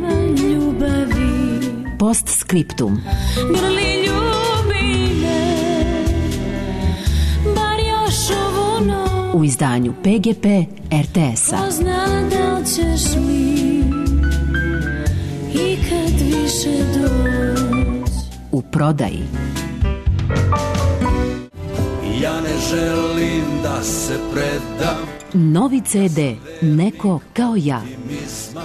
Postscriptum. Grli ljubi me, bar još ovu noć. U izdanju P G P R T S-a. Pozna da ćeš mi ikad više doći. U prodaji. Ja ne želim da se predam. Novi C D Neko kao ja.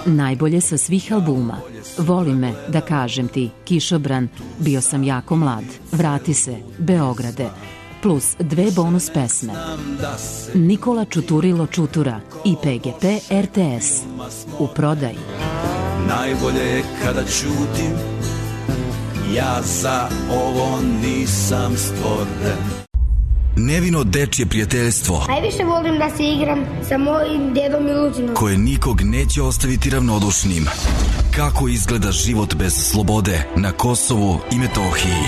Najbolje sa svih albuma. Voli me, da kažem ti, Kišobran, Bio sam jako mlad, Vrati se, Beograde, plus dve bonus pesme. Nikola Čuturilo Čutura i P G P R T S. U prodaji. Najbolje je kada ćutim, ja za ovo nisam stvoren. Nevino dečje prijateljstvo. Najviše volim da se igram sa mojim dedom Miluđinom, koje nikog neće ostaviti ravnodušnim. Kako izgleda život bez slobode na Kosovu i Metohiji?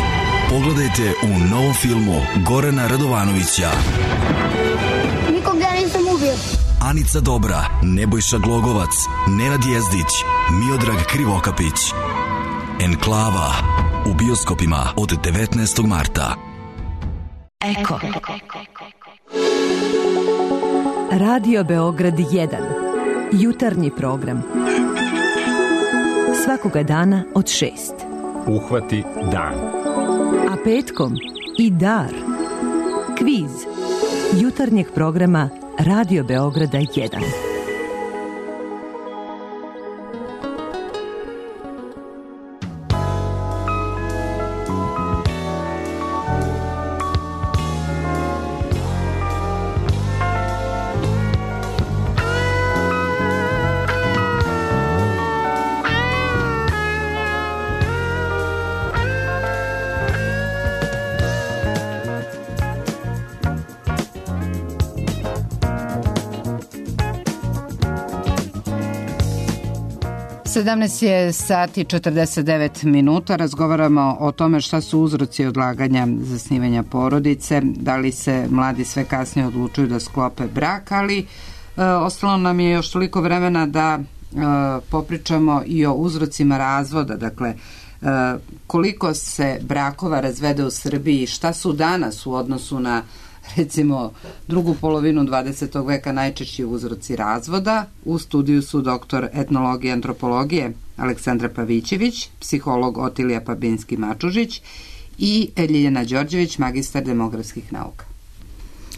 Pogledajte u novom filmu Gorana Radovanovića. Nikog ja nisam ubio. Anica Dobra, Nebojša Glogovac, Nenad Jezdić, Miodrag Krivokapić. Enklava u bioskopima od devetnaestog marta. Eko. Radio Beograd jedan. Jutarnji program. Svakoga dana od šest. Uhvati dan. A petkom i dar. Kviz. jutarnjeg programa Radio Beograda jedan. sedamnaest je sati četrdeset devet minuta. Razgovaramo o tome šta su uzroci odlaganja zasnivanja porodice, da li se mladi sve kasnije odlučuju da sklope brak, ali e, ostalo nam je još toliko vremena da e, popričamo i o uzrocima razvoda. Dakle, e, koliko se brakova razvede u Srbiji, šta su danas u odnosu na recimo drugu polovinu dvadesetog veka najčešći uzroci razvoda. U studiju su doktor etnologije i antropologije Aleksandra Pavićević, psiholog Otilija Pabinski-Mačužić i Ljiljana Đorđević, magistar demografskih nauka.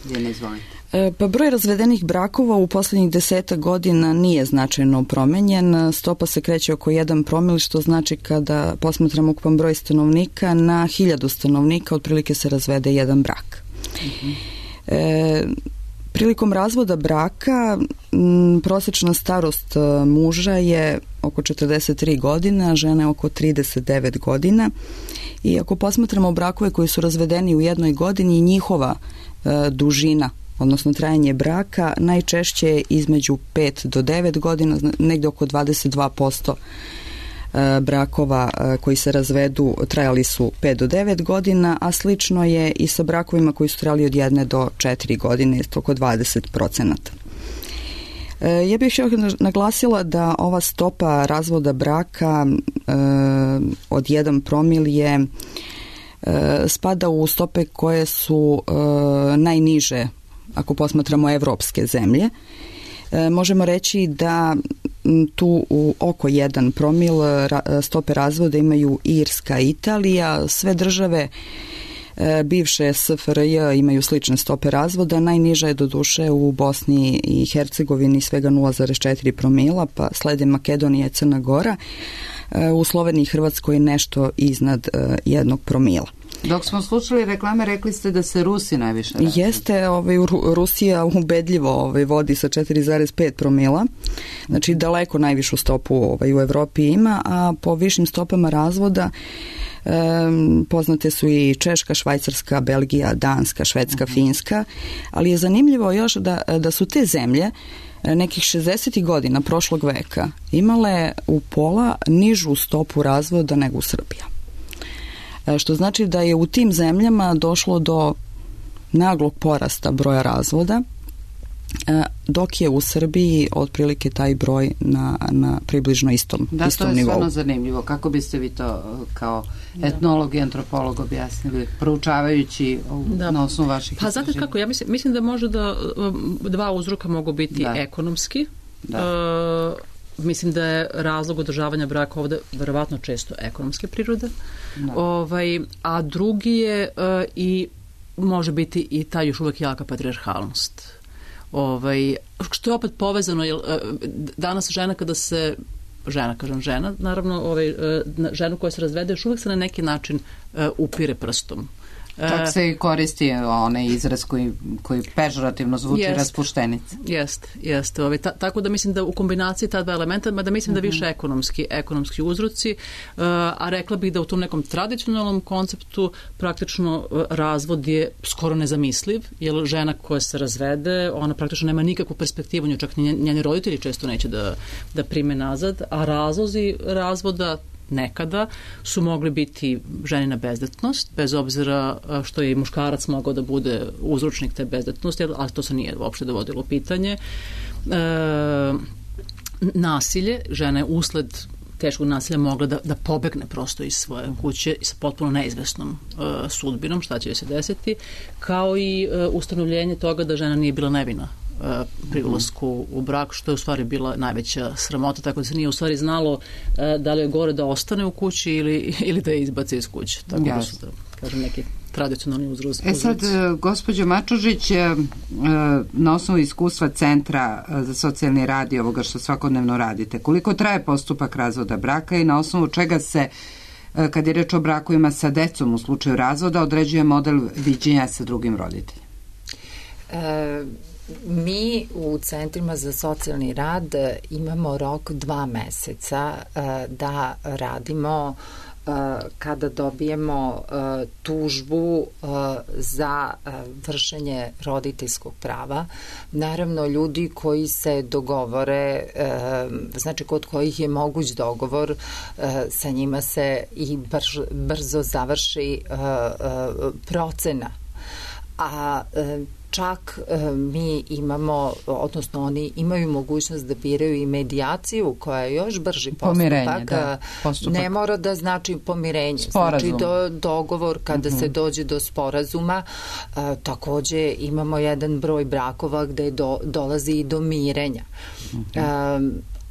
Ljiljana, izvolite. E, pa broj razvedenih brakova u poslednjih deseta godina nije značajno promenjen. Stopa se kreće oko jedan promil, što znači kada posmatramo ukupan broj stanovnika na hiljadu stanovnika otprilike se razvede jedan brak. E, prilikom razvoda braka m, prosječna starost muža je oko četrdeset tri godine, a žene oko trideset devet godina. I ako posmatramo brakove koji su razvedeni u jednoj godini, njihova e, dužina, odnosno trajanje braka, najčešće je između pet do devet godina, negde oko dvadeset dva posto brakova koji se razvedu trajali su pet do devet godina, a slično je i sa brakovima koji su trajali od jedne do četiri godine, oko dvadeset procenata. Ja bih još naglasila da ova stopa razvoda braka e, od jedan promil je e, spada u stope koje su e, najniže ako posmatramo evropske zemlje. E, možemo reći da tu u oko jedan promil stope razvoda imaju Irska i Italija. Sve države e, bivše S F R J imaju slične stope razvoda. Najniža je doduše u Bosni i Hercegovini svega nula zarez četiri promila, pa slede Makedonija i Crna Gora. E, u Sloveniji i Hrvatskoj nešto iznad e, jednog promila. Dok smo slušali reklame, rekli ste da se Rusi najviše razvode. Jeste, ovaj, Rusija ubedljivo ovaj, vodi sa četiri zarez pet promila, znači daleko najvišu stopu ovaj, u Evropi ima, a po višim stopama razvoda eh, poznate su i Češka, Švajcarska, Belgija, Danska, Švedska, uh-huh. Finska, ali je zanimljivo još da, da su te zemlje nekih šezdesetih godina prošlog veka imale u pola nižu stopu razvoda nego u Srbiji. Što znači da je u tim zemljama došlo do naglog porasta broja razvoda, dok je u Srbiji otprilike taj broj na, na približno istom, da, istom nivou. Da, to je nivou. stvarno zanimljivo. Kako biste vi to kao etnolog i antropolog objasnili, proučavajući da. Na osnovu vaših pa znate kako, ja mislim, mislim da može da dva uzroka mogu biti da. Ekonomski. Da. Uh, mislim da je razlog održavanja braka ovde verovatno često ekonomske prirode. Da. Ovaj, a drugi je uh, i može biti i ta još uvek jaka patrijarhalnost. Ovaj, što je opet povezano, jer uh, danas žena kada se žena, kažem žena, naravno ovaj, uh, ženu koja se razvede još uvek se na neki način uh, upire prstom. Čak se i koristi onaj izraz koji, koji pežorativno zvuči jest, raspuštenica. Jeste, jeste. Ovaj, ta, tako da mislim da u kombinaciji ta dva elementa, mada mislim uh-huh. da više ekonomski, ekonomski uzroci, uh, a rekla bih da u tom nekom tradicionalnom konceptu praktično uh, razvod je skoro nezamisliv, jer žena koja se razvede, ona praktično nema nikakvu perspektivu, nju čak njeni roditelji često neće da, da prime nazad, a razlozi razvoda nekada su mogli biti ženina bezdetnost, bez obzira što je i muškarac mogao da bude uzročnik te bezdetnosti, ali to se nije uopšte dovodilo u pitanje. E, nasilje, žena je usled teškog nasilja mogla da, da pobegne prosto iz svoje kuće sa potpuno neizvesnom e, sudbinom, šta će joj se desiti, kao i e, ustanovljenje toga da žena nije bila nevina pri ulasku u brak, što je u stvari bila najveća sramota, tako da se nije u stvari znalo da li je gore da ostane u kući ili, ili da je izbace iz kuće. Tako da su da, kažem, neki tradicionalni uzroci. E sad, gospođo Mačužić, na osnovu iskustva Centra za socijalni rad i ovoga što svakodnevno radite, koliko traje postupak razvoda braka i na osnovu čega se, kad je reč o brakovima sa decom u slučaju razvoda, određuje model viđenja sa drugim roditeljima? E, mi u Centrima za socijalni rad imamo rok dva meseca da radimo kada dobijemo tužbu za vršenje roditeljskog prava. Naravno, ljudi koji se dogovore, znači kod kojih je moguć dogovor, sa njima se i brzo završi procena. A čak mi imamo, odnosno oni imaju mogućnost da biraju i medijaciju koja je još brži postupak. Da, postupak. Ne mora da znači pomirenje. Sporazum. Znači do, dogovor kada uh-huh. se dođe do sporazuma. A, takođe imamo jedan broj brakova gde do, dolazi i do mirenja. Uh-huh. A,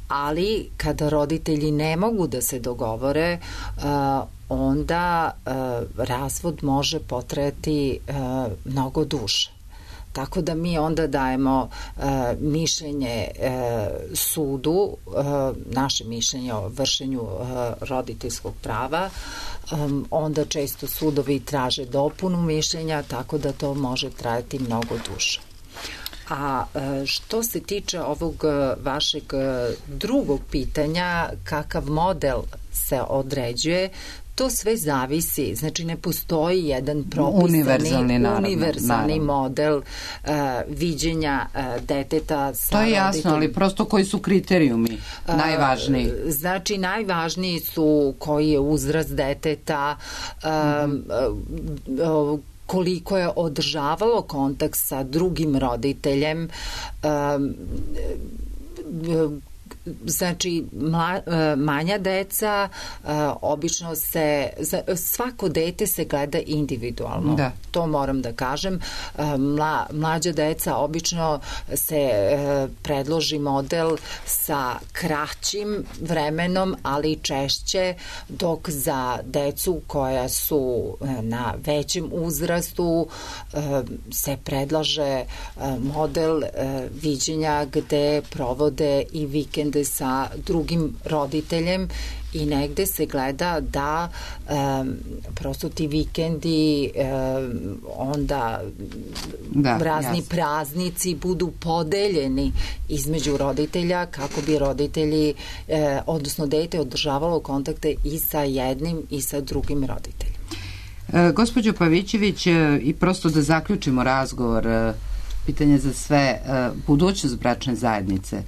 ali kada roditelji ne mogu da se dogovore, a, onda a, razvod može potrajati a, mnogo duže. Tako da mi onda dajemo e, mišljenje e, sudu, e, naše mišljenje o vršenju e, roditeljskog prava, e, onda često sudovi traže dopunu mišljenja, tako da to može trajati mnogo duže. A e, što se tiče ovog vašeg drugog pitanja, kakav model se određuje, to sve zavisi, znači ne postoji jedan propisani univerzalni, naravno, univerzalni naravno. model uh, viđenja uh, deteta sa to je jasno, roditeljima. Ali prosto koji su kriterijumi uh, najvažniji? Znači najvažniji su koji je uzrast deteta, uh, mm-hmm. uh, uh, koliko je održavalo kontakt sa drugim roditeljem, um, uh, znači mla, manja deca obično se, svako dete se gleda individualno, da. To moram da kažem. Mla, mlađa deca obično se predloži model sa kraćim vremenom, ali češće, dok za decu koja su na većem uzrastu se predlaže model viđenja gde provode i vikende sa drugim roditeljem i negde se gleda da um, prosto ti vikendi um, onda da, razni jasno. praznici budu podeljeni između roditelja kako bi roditelji, eh, odnosno dete održavalo kontakte i sa jednim i sa drugim roditeljem. E, gospođo Pavićević, e, i prosto da zaključimo razgovor, e, pitanje za sve, e, budućnost bračne zajednice.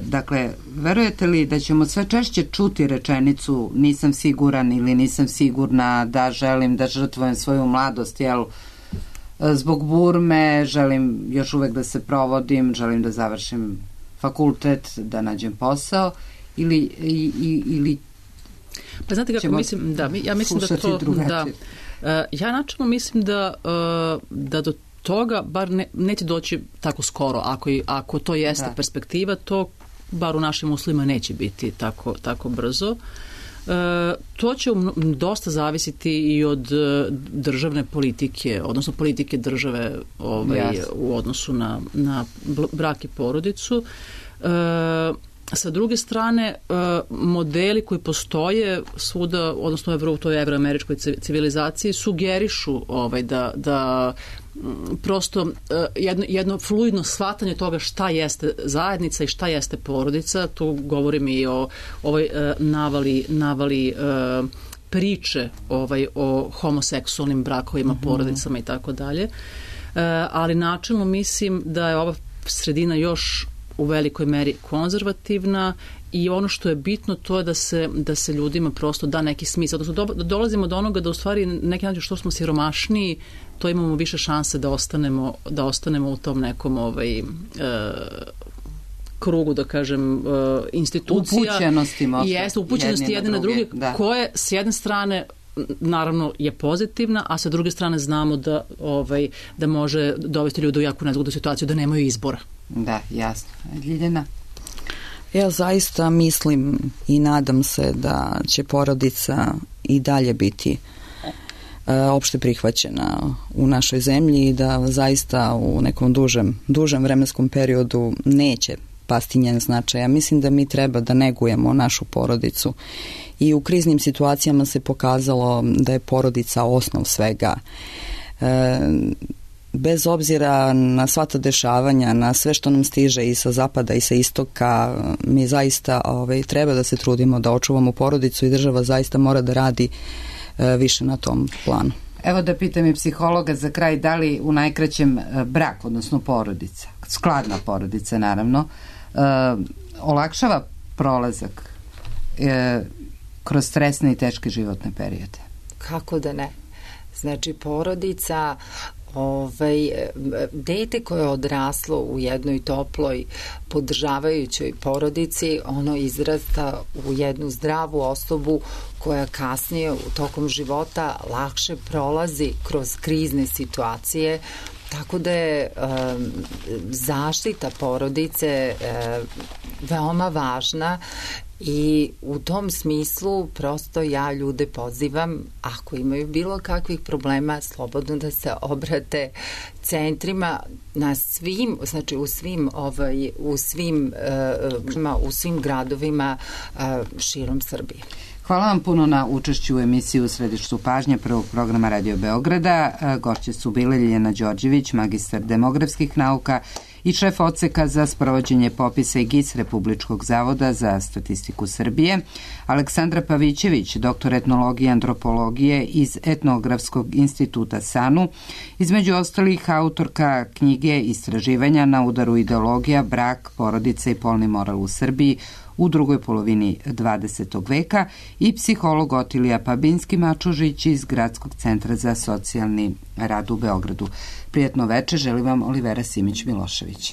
Dakle, verujete li da ćemo sve češće čuti rečenicu nisam siguran ili nisam sigurna da želim da žrtvujem svoju mladost, jel, zbog burme, želim još uvek da se provodim, želim da završim fakultet, da nađem posao, ili, i, i, ili pa znate kako mislim, da, ja mislim da to, da, ja načelno mislim da, da do toga bar ne, neće doći tako skoro. Ako, ako to jeste da. perspektiva, to bar u našim uslovima neće biti tako, tako brzo. E, to će um, dosta zavisiti i od državne politike, odnosno politike države ovaj, yes. u odnosu na, na brak i porodicu. E, Sa druge strane, modeli koji postoje svuda, odnosno u toj evroameričkoj civilizaciji, sugerišu ovaj, da, da prosto jedno, jedno fluidno shvatanje toga šta jeste zajednica i šta jeste porodica. Tu govorim i o ovoj navali, navali priče ovaj, o homoseksualnim brakovima, mm-hmm. porodicama i tako dalje. Ali načelno mislim da je ova sredina još u velikoj meri konzervativna i ono što je bitno to je da se, da se ljudima prosto da neki smisao. Odnosno do, dolazimo do onoga da u stvari neki način što smo siromašniji, to imamo više šanse da ostanemo, da ostanemo u tom nekom ovaj, e, krugu, da kažem, e, institucija. Upućenosti možda. Jeste, upućenosti jedne na druge, da. koje s jedne strane naravno je pozitivna, a sa druge strane znamo da, ovaj, da može dovesti ljude u jako nezgodnu situaciju, da nemaju izbora. Da, jasno. Ljiljana? Ja zaista mislim i nadam se da će porodica i dalje biti opšte prihvaćena u našoj zemlji i da zaista u nekom dužem, dužem vremenskom periodu neće pasti njen značaj. Ja mislim da mi treba da negujemo našu porodicu i u kriznim situacijama se pokazalo da je porodica osnov svega. E, bez obzira na sva ta dešavanja, na sve što nam stiže i sa zapada i sa istoka, mi zaista ovaj, treba da se trudimo da očuvamo porodicu i država zaista mora da radi e, više na tom planu. Evo da pitam i psihologa za kraj, da li u najkraćem brak, odnosno porodica, skladna porodica naravno, e, olakšava prolazak e, kroz stresne i teške životne periode? Kako da ne? Znači, porodica, ovaj, dete koje je odraslo u jednoj toploj, podržavajućoj porodici, ono izrasta u jednu zdravu osobu koja kasnije u tokom života lakše prolazi kroz krizne situacije. Tako da je um, zaštita porodice um, veoma važna i u tom smislu prosto ja ljude pozivam, ako imaju bilo kakvih problema, slobodno da se obrate centrima na svim, znači u svim ovaj, u svim uh, u svim gradovima uh, širom Srbije. Hvala vam puno na učešću u emisiji U središtu pažnje prvog programa Radio Beograda. Gošće su bile Ljiljana Đorđević, magistar demografskih nauka i šef odseka za sprovođenje popisa i G I S Republičkog zavoda za statistiku Srbije, Aleksandra Pavićević, doktor etnologije i antropologije iz Etnografskog instituta SANU, između ostalih autorka knjige Istraživanja na udaru ideologija, brak, porodica i polni moral u Srbiji u drugoj polovini dvadesetog veka i psiholog Otilija Pabinski-Mačužić iz Gradskog centra za socijalni rad u Beogradu. Prijatno veče, želim vam Olivera Simić-Milošević.